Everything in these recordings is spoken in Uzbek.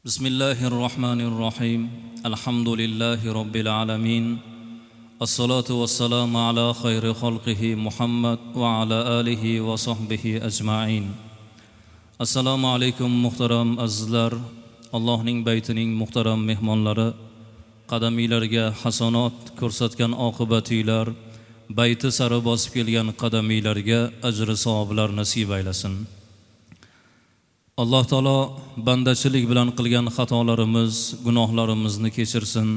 Bismillahir Rahmanir Rahim. Alhamdulillahi Robbil alamin. Assalatu vassalamu ala xayri xalqihi Muhammad va ala alihi va sahbihi ajmain. Assalomu alaykum muhtaram azizlar, Allohning baytining muhtaram mehmonlari, qadamiylarga hasanot ko'rsatgan oqibatiylar, bayti sari bosib kelgan qadamiylarga ajri savoblar nasib aylasin. Alloh taolo bandachilik bilan qilgan xatolarimiz, gunohlarimizni kechirsin,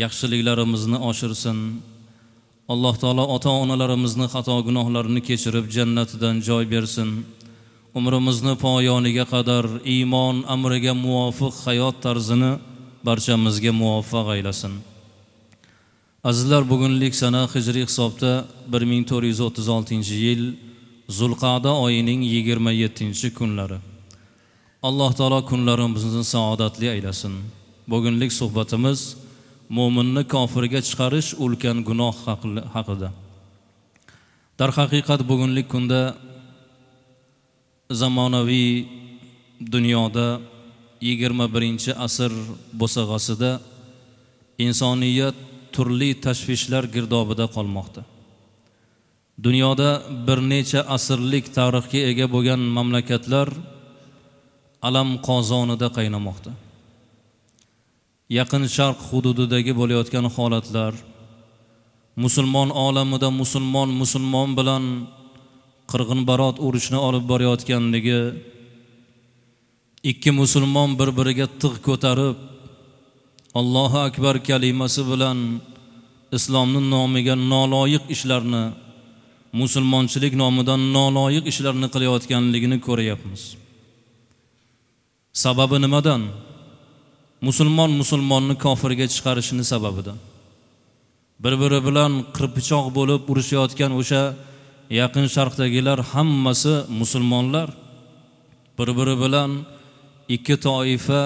yaxshiliklarimizni oshirsin. Alloh taolo ota-onalarimizni xato gunohlarini kechirib jannatidan joy bersin. Umrimizni poyoniga qadar iymon amriga muvofiq hayot tarzini barchamizga muvaffaq aylasin. Azizlar, bugunlik sana hijriy hisobda 1436-yil Zulqa'da oyining 27-kunlari. Alloh taolo kunlarimizni saodatli aylasin. Bugunlik suhbatimiz mo'minni kofirga chiqarish ulkan gunoh haqida. Darhaqiqat bugunlik kunda zamonaviy dunyoda 21-asr bo'sag'asida insoniyat turli tashvishlar girdobida qolmoqda. Dunyoda bir necha asrlik tarixga ega bo'lgan mamlakatlar alam qozonida qaynamoqda. Yaqin Sharq hududidagi bo'layotgan holatlar, musulmon olamida musulmon musulmon bilan qirg'inbarot urushni olib borayotganligi, ikki musulmon bir-biriga tig' ko'tarib Allohu akbar kalimasi bilan islomning nomiga noloyiq ishlarni, musulmonchilik nomidan noloyiq ishlarni qilayotganligini ko'ryapmiz. Sababi nimadan? Musulmon musulmonni kofirga chiqarishini sababidan. Bir-biri bilan qirpichoq bo'lib urushayotgan o'sha Yaqin Sharqdagilar hammasi musulmonlar. Bir-biri bilan ikki toifa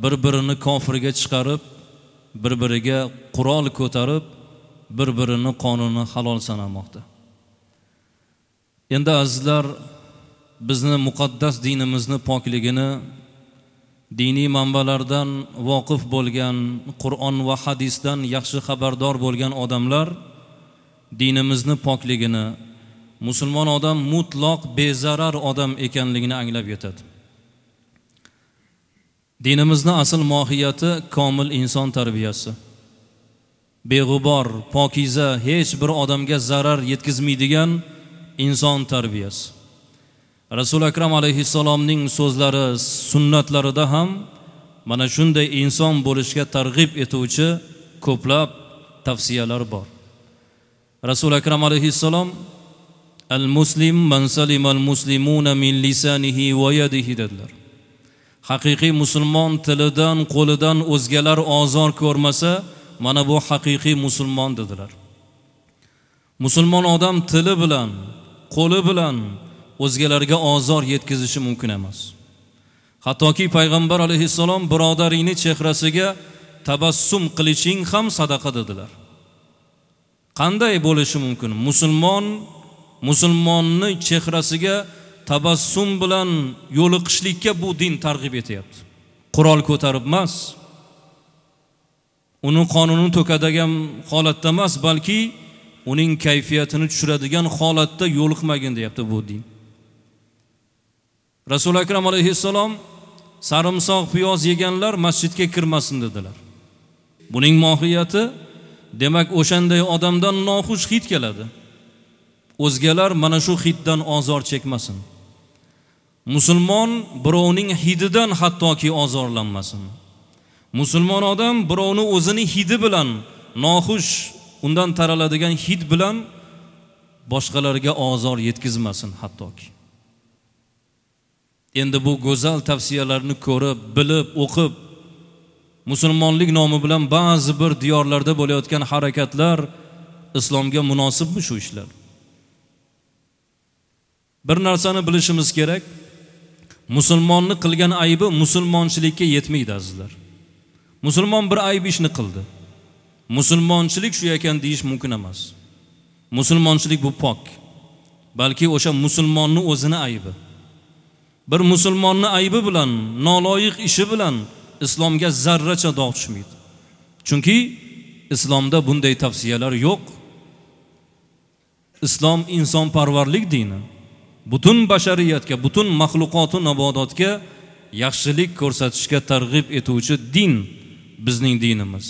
bir-birini kofirga chiqarib, bir-biriga qurol ko'tarib, bir-birini qonuni halol sanamoqda. Endi azizlar, bizni muqaddas dinimizni pokligini diniy manbalardan voqif bo'lgan, Qur'on va hadisdan yaxshi xabardor bo'lgan odamlar dinimizni pokligini, musulmon odam mutlaq bezarar odam ekanligini anglab yetadi. Dinimizni asl mohiyati komil inson tarbiyasi. Beg'ubor, pokiza, hech bir odamga zarar yetkazmaydigan inson tarbiyasi. Rasul Akram alayhissalomning so'zlari, sunnatlarida ham mana shunday inson bo'lishga targ'ib etuvchi ko'plab tavsiyalar bor. Rasul Akram alayhissalom al-muslim man salima al-muslimuna min lisanihi va yadihi dedilar. Haqiqiy musulmon tilidan, qo'lidan o'zgalar ozor ko'rmasa, mana bu haqiqiy musulmon dedilar. Musulmon odam tili bilan, qo'li bilan o'zgalarga ozor yetkazishi mumkin emas. Hattoki payg'ambar alayhissalom birodaringni chehrasiga tabassum qilishing ham sadaqa dedilar. Qanday bo'lishi mumkin? Musulmon musulmonni chehrasiga tabassum bilan yo'liqishlikka bu din targ'ib etyapti. Qurol ko'tarib emas, uni qonunini to'kadigan holatda emas, balki uning kayfiyatini tushiradigan holatda yo'liqmagin deyapti bu din. Rasul Akram alayhissalom sarimsoq piyoz yeganlar masjidga kirmasin dedilar. Buning mohiyati, demak, o'shanday odamdan noxush hid keladi. O'zgalar mana shu hiddan ozor chekmasin. Musulmon birovning hididan hattoki ozorlanmasin. Musulmon odam birovni o'zini hidi bilan, noxush undan taraladigan hid bilan boshqalarga ozor yetkazmasin hattoki. Endi bu go'zal tavsiyalarni ko'rib, bilib, o'qib, musulmonlik nomi bilan ba'zi bir diyorlarda bo'layotgan harakatlar islomga munosibmi shu ishlar? Bir narsani bilishimiz kerak. Musulmonni qilgan aybi musulmonchilikka yetmaydi azizlar. Musulmon bir ayb ishni qildi. Musulmonchilik shu ekan deyish mumkin emas. Musulmonchilik bu pok. Balki o'sha musulmonni o'zini aybi. Bir musulmonni aybi bilan, noloyiq ishi bilan islomga zarracha dog' tushmaydi. Chunki islomda bunday tavsiyalar yo'q. Islom insonparvarlik dini. Butun bashariyatga, butun maxluqotu nabodotga yaxshilik ko'rsatishga targ'ib etuvchi din bizning dinimiz.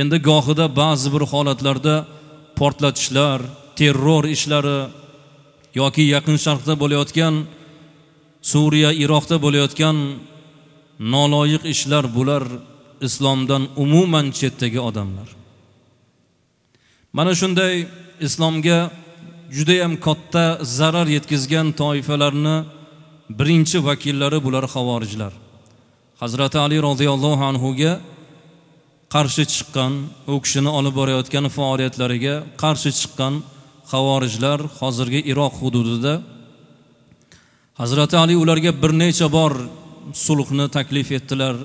Endi gohida ba'zi bir holatlarda portlatishlar, terror ishlari yoki Yaqin Sharqda bo'layotgan, Suriya, Iroqda bo'layotgan noloyiq ishlar, bular islomdan umuman chetdagi odamlar. Mana shunday islomga juda ham katta zarar yetkazgan toifalarni birinchi vakillari bular xavorijlar. Hazrati Ali roziyallohu anhu ga qarshi chiqqan, u kishini olib borayotgan faoliyatlariga qarshi chiqqan xavorijlar hozirgi Iroq hududida. Hazrati Ali ularga bir necha bor sulhni taklif etdilar,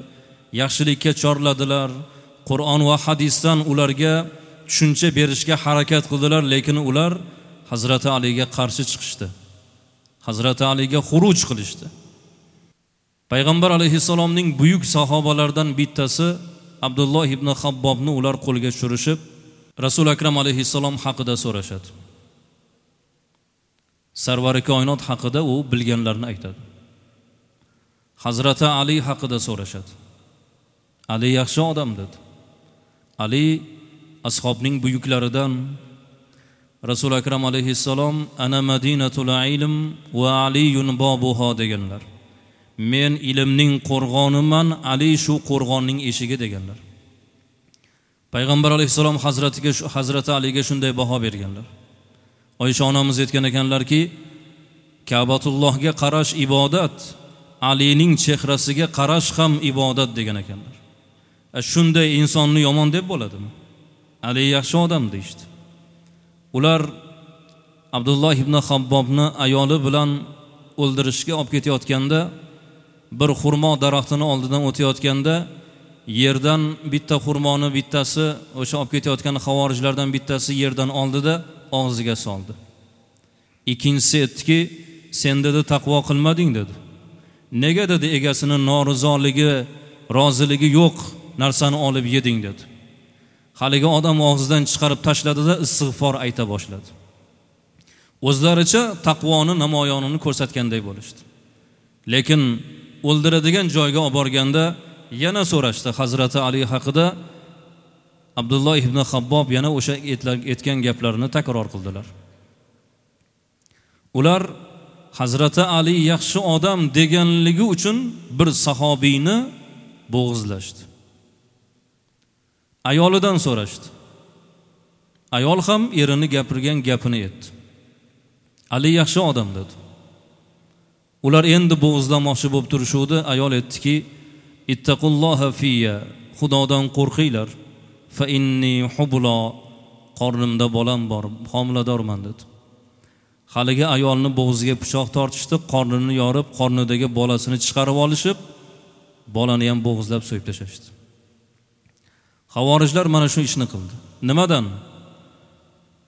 yaxshilikka chorladilar, Qur'on va hadisdan ularga tushuncha berishga harakat qildilar, lekin ular Hazrati Aliga qarshi chiqishdi. Hazrati Aliga xuruj qilishdi. Payg'ambar alayhissalomning buyuk sahobalaridan bittasi Abdulloh ibn Habbobni ular qo'lga tushirishib, Rasul akram alayhissalom haqida so'rashadi. Sarvari koinot haqida u bilganlarini aytadi. Hazrati Ali haqida so'rashadi. Ali yaxshi odam dedi. Ali ashobning buyuklaridan. Rasul akram alayhissalom ana madinatul ilm va aliyun bobuha deganlar. Men ilmning qo'rg'oniman, Ali shu qo'rg'onning eshigi deganlar. Payg'ambar alayhissalom Hazrati Aliga shunday baho berganlar. Oysha onamiz aytgan ekanlarki, Ka'batullohga qarash ibodat, Alining chehrasiga qarash ham ibodat degan ekanlar. Shunday insonni yomon deb bo'ladimi? Ali yaxshi odam deyishdi. Ular Abdulloh ibn Habbobni ayoli bilan o'ldirishga olib ketayotganda, bir xurmo daraxtini oldidan o'tayotganda yerdan bitta xurmoni bittasi, o'sha olib ketayotgan xavorijlardan bittasi yerdan oldida og'ziga soldi. Ikkinchisi aytdiki, sen dedi taqvo qilmading dedi. Nega dedi egasini norizoligi, roziligi yo'q narsani olib yeding dedi. Haligi odam og'zidan chiqarib tashladida istig'for ayta boshladi. O'zlaricha taqvoni namoyonini ko'rsatganday bo'lishdi. Lekin o'ldiradigan joyga olib borganda yana so'rashdi Hazrati Ali haqida. Abdulloh ibn Habbob yana o'sha aytgan gaplarini takror qildilar. Ular Hazrati Ali yaxshi odam deganligi uchun bir sahobiyni bo'g'izlashdi. Ayolidan so'rashdi. Ayol ham erini gapirgan gapini aytdi. Ali yaxshi odam dedi. Ular endi bo'g'izlamoqchi bo'lib turishuvdi. Ayol aytdiki, ittaqulloha fiyya, Xudodan qo'rqinglar. Fa inni hubla, qornimda bolam bor, homiladorman dedi. Haligi ayolni bo'g'ziga pichoq tortishdi, qornini yorib, qornidagi bolasini chiqarib olishib, bolani ham bo'g'izlab so'yib tashlashdi. Xavorijlar mana shu ishni qildi. Nimadan?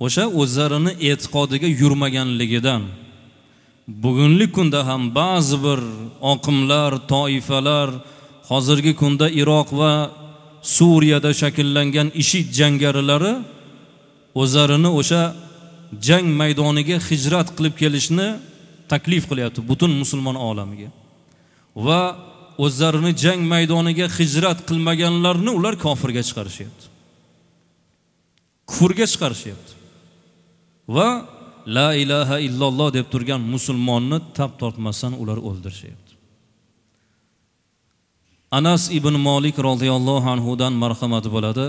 O'sha o'zlarini e'tiqodiga yurmaganligidan. Bugungi kunda ham ba'zi bir oqimlar, toifalar, hozirgi kunda Iroq va Suriyada shakllangan IShID jangarilari o'zlarini o'sha jang maydoniga hijrat qilib kelishni taklif qilyapti butun musulmon olamiga. Va o'zlarini jang maydoniga hijrat qilmaganlarni ular kofirga chiqarishyapti. Kufrga chiqarishyapti. Va la ilaha illalloh deb turgan musulmonni tap tortmasdan ular o'ldirishyapti. Anas ibn Malik radhiyallohu anhu dan marhamat bo'ladi.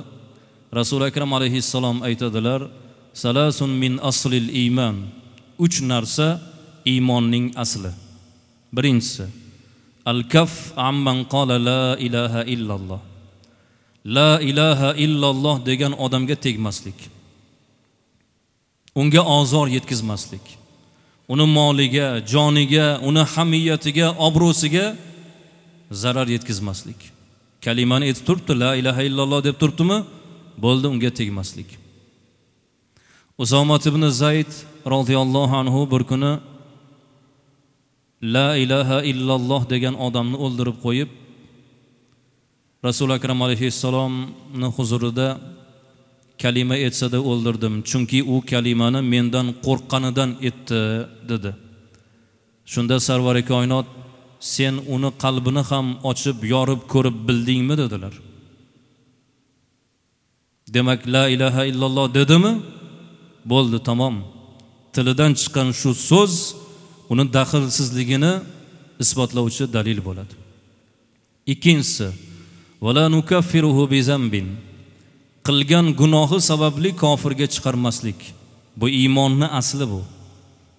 Rasul akram alayhissalom aytadilar: "Salasun min aslil iymon." Uch narsa iymonning asli. Birinchisi, al-kaf amman qala la ilaha illalloh. La ilaha illalloh degan odamga tegmaslik. Unga ozor yetkazmaslik. Uni moliga, joniga, uni hamiyatiga, obro'siga zarar yetkazmaslik. Kalimani aytib turibdi, la ilaha illalloh deb turibdimi? Bo'ldi, unga tegmaslik. Usoma ibn Zayd radhiyallohu anhu bir kuni La ilaha illalloh degan odamni o'ldirib qo'yib, Rasul Akram alayhissalomning huzurida kalima etsada o'ldirdim, chunki u kalimani mendan qo'rqqanidan etdi dedi. Shunda Sarvari koinot, sen uni qalbini ham ochib, yorib ko'rib bildingmi dedilar. Demak, la ilaha illalloh dedimi? Bo'ldi, tamom. Tilidan chiqqan shu so'z uni daxlsizligini isbotlovchi dalil bo'ladi. Ikkinchisi, va la nukaffiruhu bi zambin. Qilgan gunohi sababli kofirga chiqarmaslik. Bu iymonning asli bu.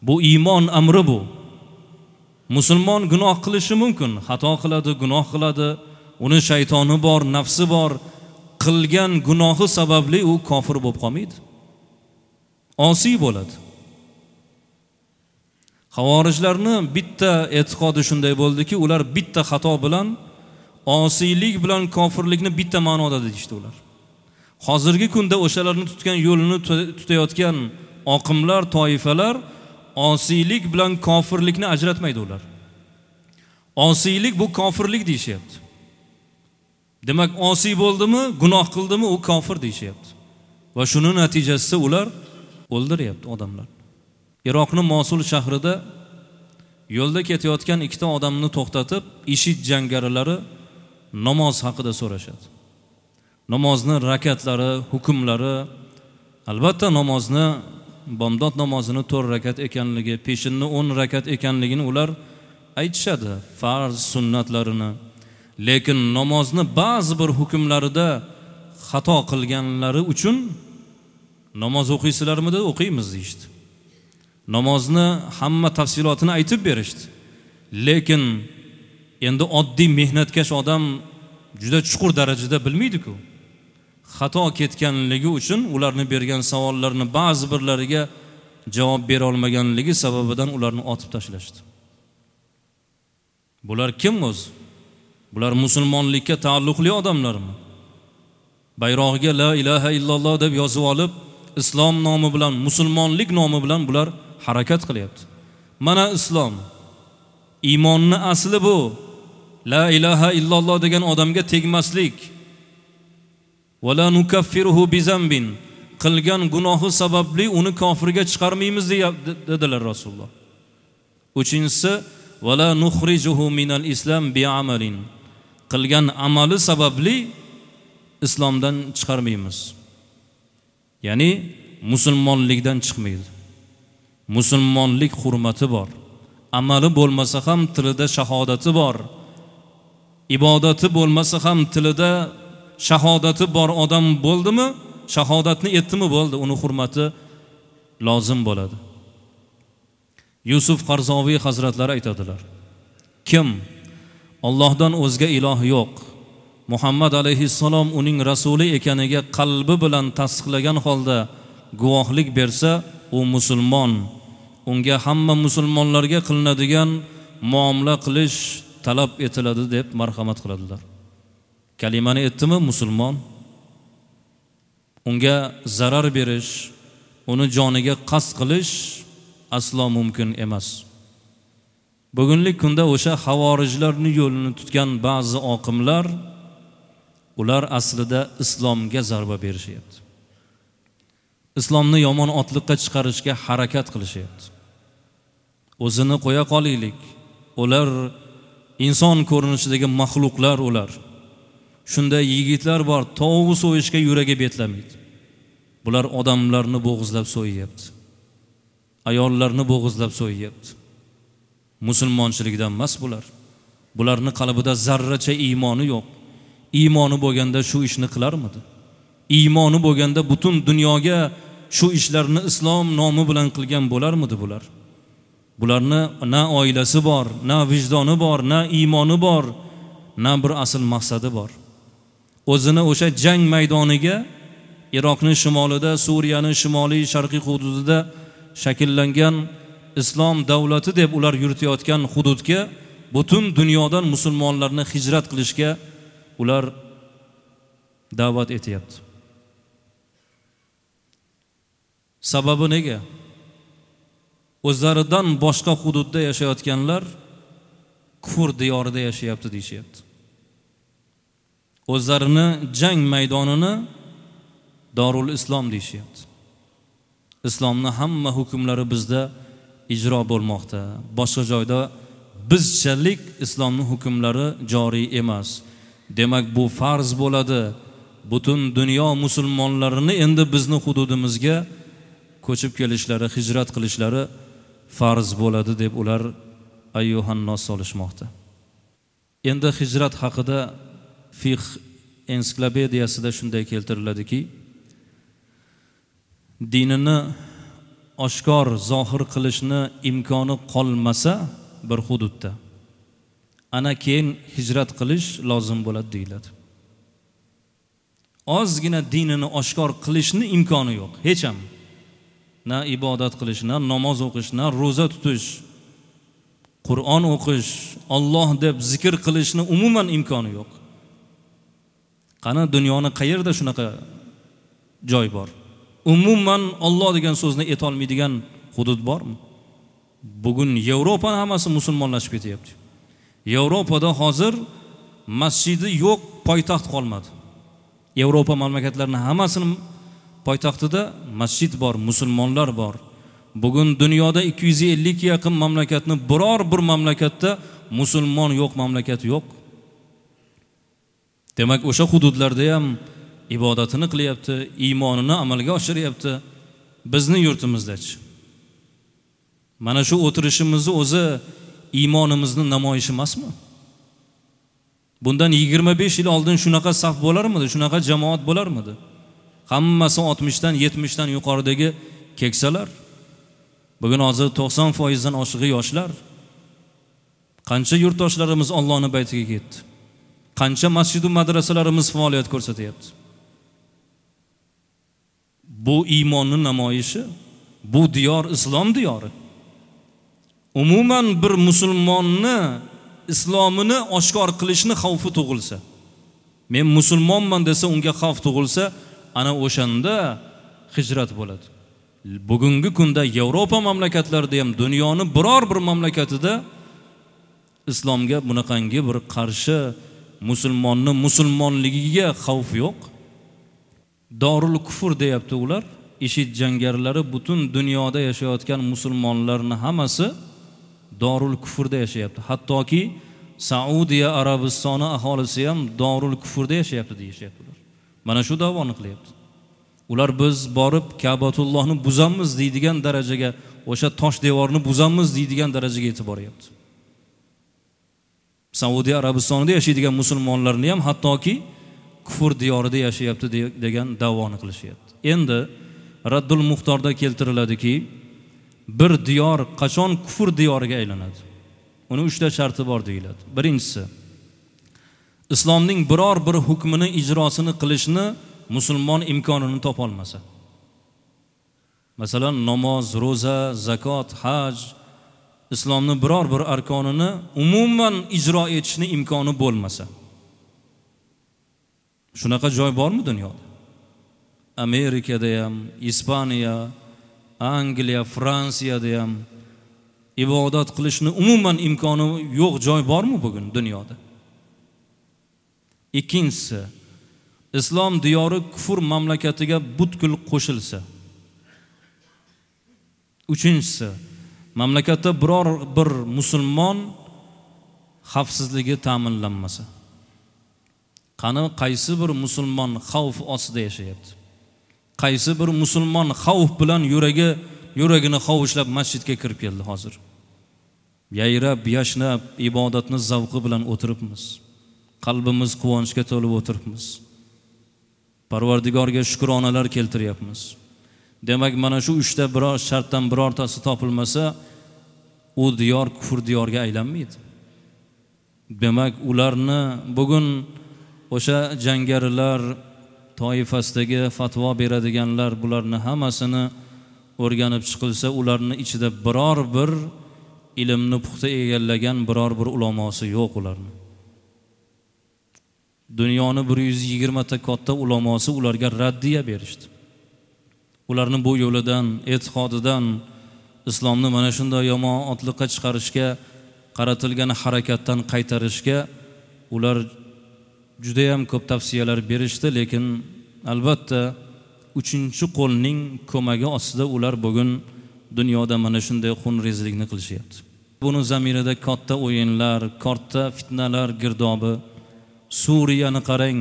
Bu iymon amri bu. Musulmon gunoh qilishi mumkin, xato qiladi, gunoh qiladi, uni shaytoni bor, nafsi bor. Qilgan gunohi sababli u kofir bo'lib qolmaydi. Osiy bo'ladi. Xavorijlarni bitta e'tiqodi shunday bo'ldiki, ular bitta xato bilan osiylik bilan kofirlikni bitta ma'noda deyishdi ular. Hozirgi kunda o'shalarni tutgan yo'lini tutayotgan oqimlar, toifalar osiylik bilan kofirlikni ajratmaydi ular. Osiylik bu kofirlik deyishyapti. Demak, osiy bo'ldimi, gunoh qildimi, u kofir deyishyapti. Va shuning natijasida ular o'ldiryapti odamlar. Iroqning Mosul shahrida yo'lda ketayotgan ikkita odamni to'xtatib, IShID jangarilari namoz haqida so'rashadi. Namozni rakatlari, hukmlari, albatta namozni, bomdod namozini 4 rakat ekanligi, peshinni 10 rakat ekanligini ular aytishadi, farz sunnatlarini. Lekin namozni ba'zi bir hukmlarida xato qilganlari uchun namoz o'qiysizlarmi dedi, o'qiymiz deyishdi. Namozni hamma tafsilotini aytib berishdi. Lekin endi oddiy mehnatkash odam juda chuqur darajada bilmaydi-ku. Xato ketganligi uchun ularni bergan savollarni ba'zi birlariga javob bera olmaganligi sababidan ularni otib tashlashdi. Bular kim o'zi? Bular musulmonlikka taalluqli odamlarmi? Bayrog'iga la ilaha illalloh deb yozib olib, islom nomi bilan, musulmonlik nomi bilan bular harakat qilyapti. Mana islom. Iymonning asli bu. La ilaha illalloh degan odamga tegmaslik. Va la nukaffiruhu bi zambin. Qilgan gunohi sababli uni kofirga chiqarmaymiz dedilar Rasululloh. Uchinchisi, va la nukhrijuhu minal islam bi amalin. Qilgan amali sababli islomdan chiqarmaymiz. Ya'ni musulmonlikdan chiqmaydi. Musulmonlik hurmati bor. Amali bo'lmasa ham tilida shahodati bor. Ibodati bo'lmasa ham tilida shahodati bor odam bo'ldimi? Shahodatni etdimi bo'ldi, uni hurmati lozim bo'ladi. Yusuf Qarzoviy hazratlari aytadilar: kim Allohdan o'zga iloh yo'q, Muhammad alayhissalom uning rasuli ekaniga qalbi bilan tasdiqlagan holda guvohlik bersa, u musulmon. Unga hamma musulmonlarga qilinadigan muomala qilish talab etiladi deb marhamat qiladilar. Kalimani etdimi musulmon? Unga zarar berish, uni joniga qasd qilish aslo mumkin emas. Bugungi kunda o'sha xavorijlarning yo'lini tutgan ba'zi oqimlar, ular aslida islomga zarba berishyapti. Islomni yomon otliqqa chiqarishga harakat qilishyapti. O'zini qo'ya qolaylik. Ular inson ko'rinishidagi maxluqlar ular. Shunday yigitlar bor, tovuq so'yishga yuragi betlamaydi. Bular odamlarni bo'g'izlab so'yyapti. Ayollarni bo'g'izlab so'yyapti. Musulmonchilikdan emas bular. Bularning qalbida zarracha iymoni yo'q. Iymoni bo'lganda shu ishni qilarmidi? Iymoni bo'lganda butun dunyoga shu ishlarni islom nomi bilan qilgan bo'larmidi bular? Bularni na oilasi bor, na vijdoni bor, na iymoni bor, na bir asl maqsadi bor. O'zini o'sha jang maydoniga Iroqning shimolida, Suriyaning shimoliy sharqiy hududida shakllangan islom davlati deb ular yuritayotgan hududga butun dunyodan musulmonlarni hijrat qilishga ular da'vat etyapti. Sababi nega? O'zlaridan boshqa hududda yashayotganlar kufr diyorida yashayapti deyishyapti. O'zlarini jang maydonini Dorul Islom deyishyapti. Islomni hamma hukmlari bizda ijro bo'lmoqda. Boshqa joyda bizchalik islomning hukmlari joriy emas. Demak, bu farz bo'ladi. Butun dunyo musulmonlarini endi bizni hududimizga ko'chib kelishlari, hijrat qilishlari farz bo'ladi deb ular ayyuhannos solishmoqda. Endi hijrat haqida fiqh ensiklopediyasida shunday keltiriladiki, dinini oshkor zohir qilishni imkoni qolmasa bir hududda, ana keyin hijrat qilish lozim bo'ladi deyiladi. Ozgina dinini oshkor qilishni imkoni yo'q, hech ham. Na ibodat qilish, na namoz o'qish, na ro'za tutish, Qur'on o'qish, Alloh deb zikr qilishni umuman imkoni yo'q. Qani dunyoni qayerda shunaqa joy bor? Umuman Alloh degan so'zni aytolmaydigan hudud bormi? Bugun Yevropani hammasi musulmonlashib ketyapti. Yevropada hozir masjidi yo'q poytaxt qolmadi. Yevropa mamlakatlarining hammasini poytaxtida masjid bor, musulmonlar bor. Bugun dunyoda 250 ga yaqin mamlakatni biror bir mamlakatda musulmon yo'q mamlakat yo'q. Demak, o'sha hududlarda ham ibodatini qilyapti, iymonini amalga oshiryapti. Bizni yurtimizda-chi? Mana shu o'tirishimizni o'zi iymonimizni namoyishi emasmi? Bundan 25 yil oldin shunaqa saf bo'larmidi, shunaqa jamoat bo'larmidi? Hammasi 60 dan 70 dan yuqoridagi keksalar. Bugun hozir 90% dan oshig'i yoshlar. Qancha yurtdoshlarimiz Allohning baytiga ketdi. Qancha masjid va madrasalarimiz faoliyat ko'rsatyapti. Bu iymonning namoyishi, bu diyor islom diyori. Umuman bir musulmonni islomini oshkor qilishni xavfi tug'ilsa, men musulmonman desa unga xavf tug'ilsa, ana o'shanda hijrat bo'ladi. Bugungi kunda Yevropa mamlakatlarida ham, dunyoni biror bir mamlakatida islomga bunaqangi bir qarshi, musulmonni musulmonligiga xavf yo'q. Dorul kufr deyapti ular. IShID jangarilari butun dunyoda yashayotgan musulmonlarni hammasi Dorul kufrda yashayapti. Hattoki Saudiya Arabistoni aholisi ham Dorul kufrda yashayapti deyishyapti ular. Mana shu da'voni qilyapti. Ular biz borib Ka'batullohni buzamiz deydigan darajaga, o'sha tosh devorni buzamiz deydigan darajaga yetib boryapti. Saudiya Arabistonida yashaydigan musulmonlarni ham hattoki kufr diyorida yashayapti degan da'voni qilishyapti. Endi Raddul Muxtorda keltiriladiki, bir diyor qachon kufr diyoriga aylanadi? Uni 3 ta sharti bor deyiladi. Birinchisi, islomning biror bir hukmini ijrosini qilishni musulmon imkonini topa olmasa. Masalan, namoz, ro'za, zakot, haj, islomning biror bir arkonini umuman ijro etishni imkoni bo'lmasa. Shunaqa joy bormi dunyoda? Amerikada ham, Ispaniya, Angliya, Fransiyada ham ibodat qilishni umuman imkoni yo'q joy bormi bugun dunyoda? Ikkinchisi, islom diyori kufr mamlakatiga butkul qo'shilsa. Uchinchisi, mamlakatda biror bir musulmon xavfsizligi ta'minlanmasa. Qani qaysi bir musulmon xavf ostida yashayapti? Qaysi bir musulmon xavf bilan yuragini hovuchlab masjidga kirib keldi hozir? Yayrab, yashnab, ibodatni zavqi bilan o'tiribmiz. Qalbimiz quvonchga to'lib o'tiribmiz. Parvardigorga shukronalar keltiryapmiz. Demak, mana shu 3 ta biror shartdan birortasi topilmasa, u diyor kufr diyorga aylanmaydi. Demak, ularni bugun o'sha jangarilar toifasidagi fatvo beradiganlar, bularni hammasini o'rganib chiqilsa, ularni ichida biror bir ilmni puxta egallagan biror bir ulamosi yo'q ularni. Dunyoni 120 ta katta ulamosi ularga raddiya berishdi. Ularni bu yo'lidan, e'tiqodidan islomni mana shunday yomon otliqqa chiqarishga qaratilgan harakatdan qaytarishga ular juda ham ko'p tavsiyalar berishdi, lekin albatta uchinchi qo'lning ko'magi ostida ular bugun dunyoda mana shunday xunrezlikni qilishyapti. Buni zamirida katta o'yinlar, katta fitnalar girdobi. Suriyani qarang,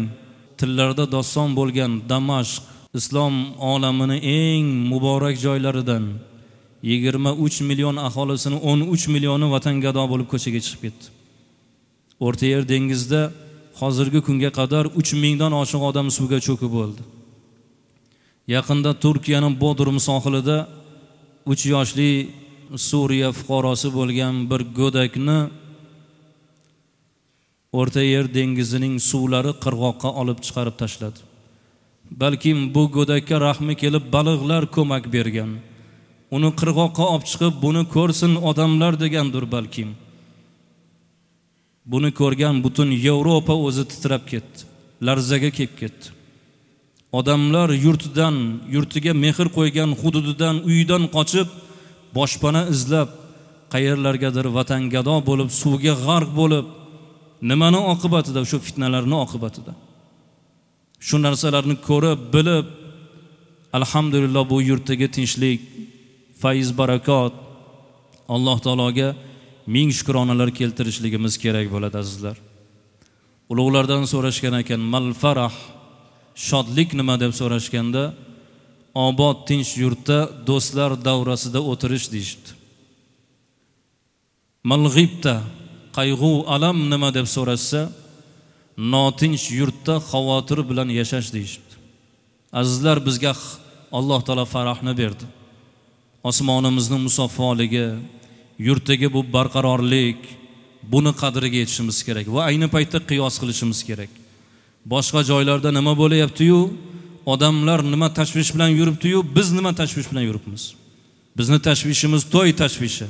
tillarda doston bo'lgan Damashq islom olamini eng muborak joylaridan 23 million aholisini 13 millioni vatangado bo'lib ko'chaga chiqib ketdi. O'rta Yer dengizida hozirgi kunga qadar 3000 dan oshiq odam suvga cho'kib o'ldi. Yaqinda Turkiyaning Bodrum sohilida 3 yoshli Suriya fuqarosi bo'lgan bir go'dakni O'rta Yer dengizining suvlari qirg'oqqa olib chiqarib tashladi. Balkim bu go'dakka rahmi kelib baliqlar ko'mak bergan. Uni qirg'oqqa olib chiqib, buni ko'rsin odamlar degandir balkim. Buni ko'rgan butun Yevropa o'zi titrab ketdi, larzaga kelib ketdi. Odamlar yurtidan, yurtiga mehr qo'ygan hududidan, uyidan qochib, boshpana izlab, qayerlargadir vatangado bo'lib, suvga g'arq bo'lib, nimani oqibatida, shu fitnalarning oqibatida. Shu narsalarni ko'rib, bilib, alhamdulillah bu yurtdagi tinchlik, fayz, barakot, Alloh taologa ming shukronalar keltirishligimiz kerak bo'ladi azizlar. Ulug'lardan so'rashgan ekan, mal farah, shodlik nima deb so'rashganda, obod tinch yurtda do'stlar davrasida o'tirish deyishdi. Mal g'ibta, qayg'u alam nima deb so'rashsa, notinch yurtda xavotir bilan yashash deyishdi. Azizlar, bizga Alloh taolo farahni berdi. Osmonimizning musaffoligi, yurtdagi bu barqarorlik, buni qadriga yetishimiz kerak va ayni paytda qiyos qilishimiz kerak. Boshqa joylarda nima bo'layapti-yu, odamlar nima tashvish bilan yuribdi-yu, biz nima tashvish bilan yuribmiz? Bizni tashvishimiz to'y tashvishi.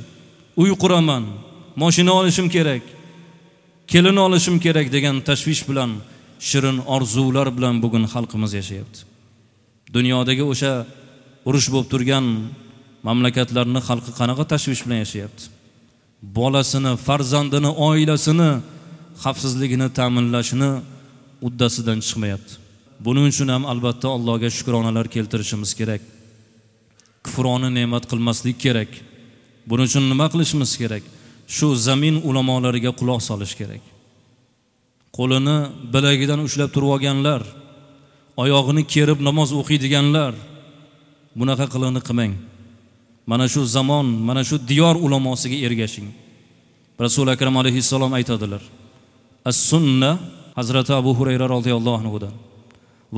Uy quraman, mashina olishim kerak, kelin olishim kerak degan tashvish bilan, shirin orzular bilan bugun xalqimiz yashayapti. Dunyodagi o'sha urush bo'lib turgan mamlakatlarning xalqi qanaqa tashvish bilan yashayapti? Bolasini, farzandini, oilasini xavfsizligini ta'minlashni uddasidan chiqmayapti. Buning uchun ham albatta Allohga shukronalar keltirishimiz kerak. Kufroni ne'mat qilmaslik kerak. Buning uchun nima qilishimiz kerak? Shu zamin ulamolariga quloq solish kerak. Qo'lini bilagidan ushlab turib olganlar, oyog'ini kerib namoz o'qiydiganlar, bunaqa qilig'ini qilmang. Mana shu zamon, mana shu diyor ulamosiga ergashing. Rasul Akram alayhissalom aytadilar: As-sunna, Hazrati Abu Hurayra radhiyallohu anhudan.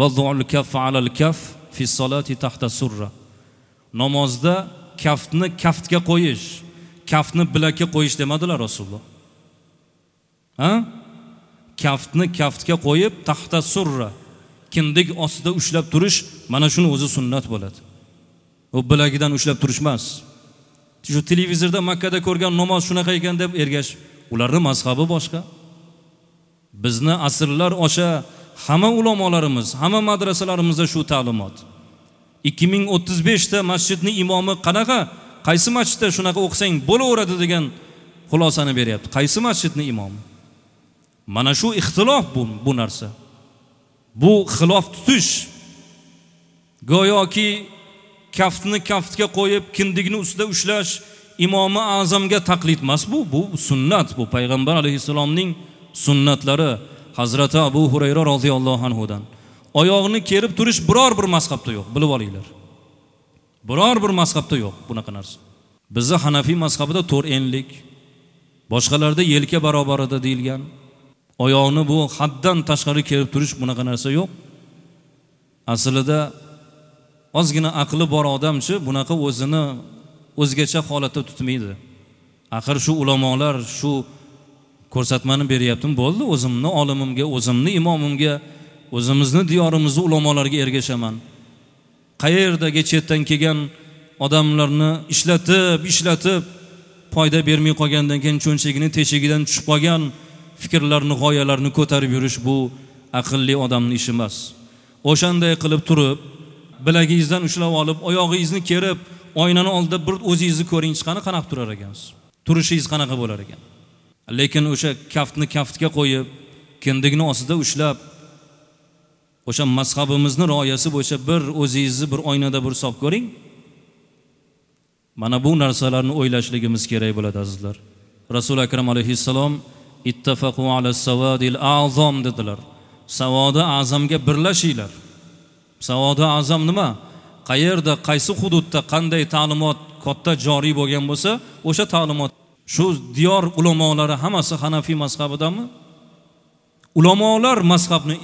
Vad'ul kaff 'alal kaff fi salati tahta surra. Namozda kaftni kaftga qo'yish, kaftni bilakka qo'yish demadilar Rasululloh. Ha? Kaftni kaftga qo'yib tahta surra, kindik ostida ushlab turish, mana shuni o'zi sunnat bo'ladi. U bilagidan ushlab turish emas. Shu televizorda Makkada ko'rgan namoz shunaqa ekan deb ergash, ularning mazhabi boshqa. Bizni asrlar osha hamma ulamolarimiz, hamma madrasalarimizda shu ta'limot. 2035 ta masjidning imomi qanaqa, qaysi masjidda shunaqa o'qisang bo'laveradi degan xulosani beryapti. Qaysi masjidning imomi? Mana shu ixtilof bu narsa. Bu xilof tutish. Go'yoki kaftni kaftga qo'yib, kindikni ustida ushlash imomi azamga taqlid emas bu. Bu sunnat, bu payg'ambar alayhissalomning sunnatlari. Hazrati Abu Hurayra radhiyallohu anhudan. Oyog'ini kerib turish biror bir mazhabda yo'q, bilib olinglar. Biror bir mazhabda yo'q bunaqa narsa. Bizda Hanafiy mazhabida to'rt enlik, boshqalarda yelka barobarida deyilgan. Oyoqni bu haddan tashqari kerib turish bunaqa narsa yo'q. Aslida ozgina aqli bor odamchi bunaqa o'zini o'zgacha holatda tutmaydi. Axir shu ulamolar shu ko'rsatmani beryaptim, bo'ldi, o'zimni olimimga, o'zimni imomimga, o'zimizni diyorimizni ulamolarga ergashaman. Qayerdagi chetdan kelgan odamlarni ishlatib foyda bermay qolgandan keyin cho'nchagini teshigidan tushib qolgan fikrlarni, g'oyalarni ko'tarib yurish bu aqlli odamning ishi emas. O'shanday qilib turib, bilagingizdan ushlab olib, oyog'ingizni kerib, oynani oldida bir o'zingizni ko'ring, chiqani qanaqa turar ekansiz? Turishingiz qanaqa bo'lar ekan? Lekin o'sha kaftni kaftga qo'yib, kindikni ostida ushlab, o'sha mazhabimizni rioyasi bo'yicha bir o'zingizni bir oynada bir hisob ko'ring. Mana bu narsalarni o'ylashligimiz kerak bo'ladi azizlar. Rasul Akram alayhissalom ittafaqu ala savadil a'zam dedilar. Savodi a'zamga birlashinglar. Savodi a'zam nima? Qayerda, qaysi hududda qanday ta'limot katta joriy bo'lgan bo'lsa, o'sha ta'limot shu diyor ulamolari hammasi Hanafiy mazhabidami? Ulamolar mazhabni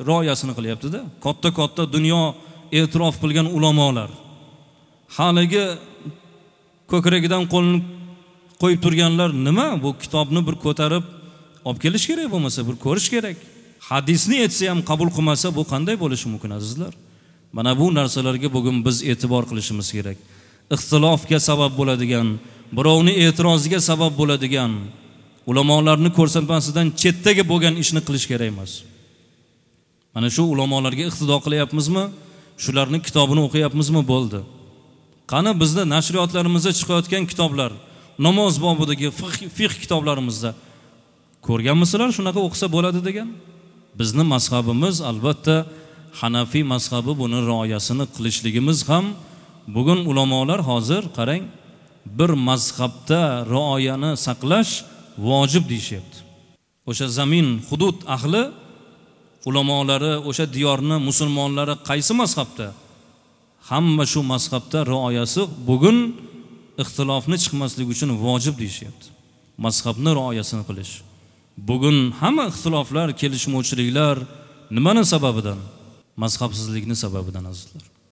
rioyasini qilyapti-da. Katta-katta dunyo e'tirof qilgan ulamolar. Haligi ko'kragidan qo'lini qo'yib turganlar nima? Bu kitobni bir ko'tarib olib kelish kerak, bo'lmasa bir ko'rish kerak. Hadisni aytsa ham qabul qilmasa bu qanday bo'lishi mumkin azizlar? Mana bu narsalarga bugun biz e'tibor qilishimiz kerak. Ixtilofga sabab bo'ladigan, birovni e'tiroziga sabab bo'ladigan, ulamolarni ko'rsatmasidan chetdagi bo'lgan ishni qilish kerak emas. Mana shu ulamolarga iqtido qilyapmizmi? Shularning kitobini o'qiyapmizmi? Bo'ldi. Qani bizda nashriyotlarimizda chiqayotgan kitoblar, namoz bobidagi fiqh kitoblarimizda ko'rganmisizlar shunaqa o'qisa bo'ladi degan? Bizni mazhabimiz albatta Hanafiy mazhabi, buni rioyasini qilishligimiz ham bugun ulamolar hozir qarang, bir mazhabda rioyani saqlash vojib deyishyapti. O'sha zamin, hudud ahli ulamolari, o'sha diyorni musulmonlari qaysi mazhabda? Hamma shu mazhabda rioyasi bugun ixtilofni chiqmasligi uchun vojib deyishyapti. Mazhabni rioyasini qilish. Bugun hamma ixtiloflar, kelishmovchiliklar nimani sababidan? Mazhabsizlikni sababidan azizlar.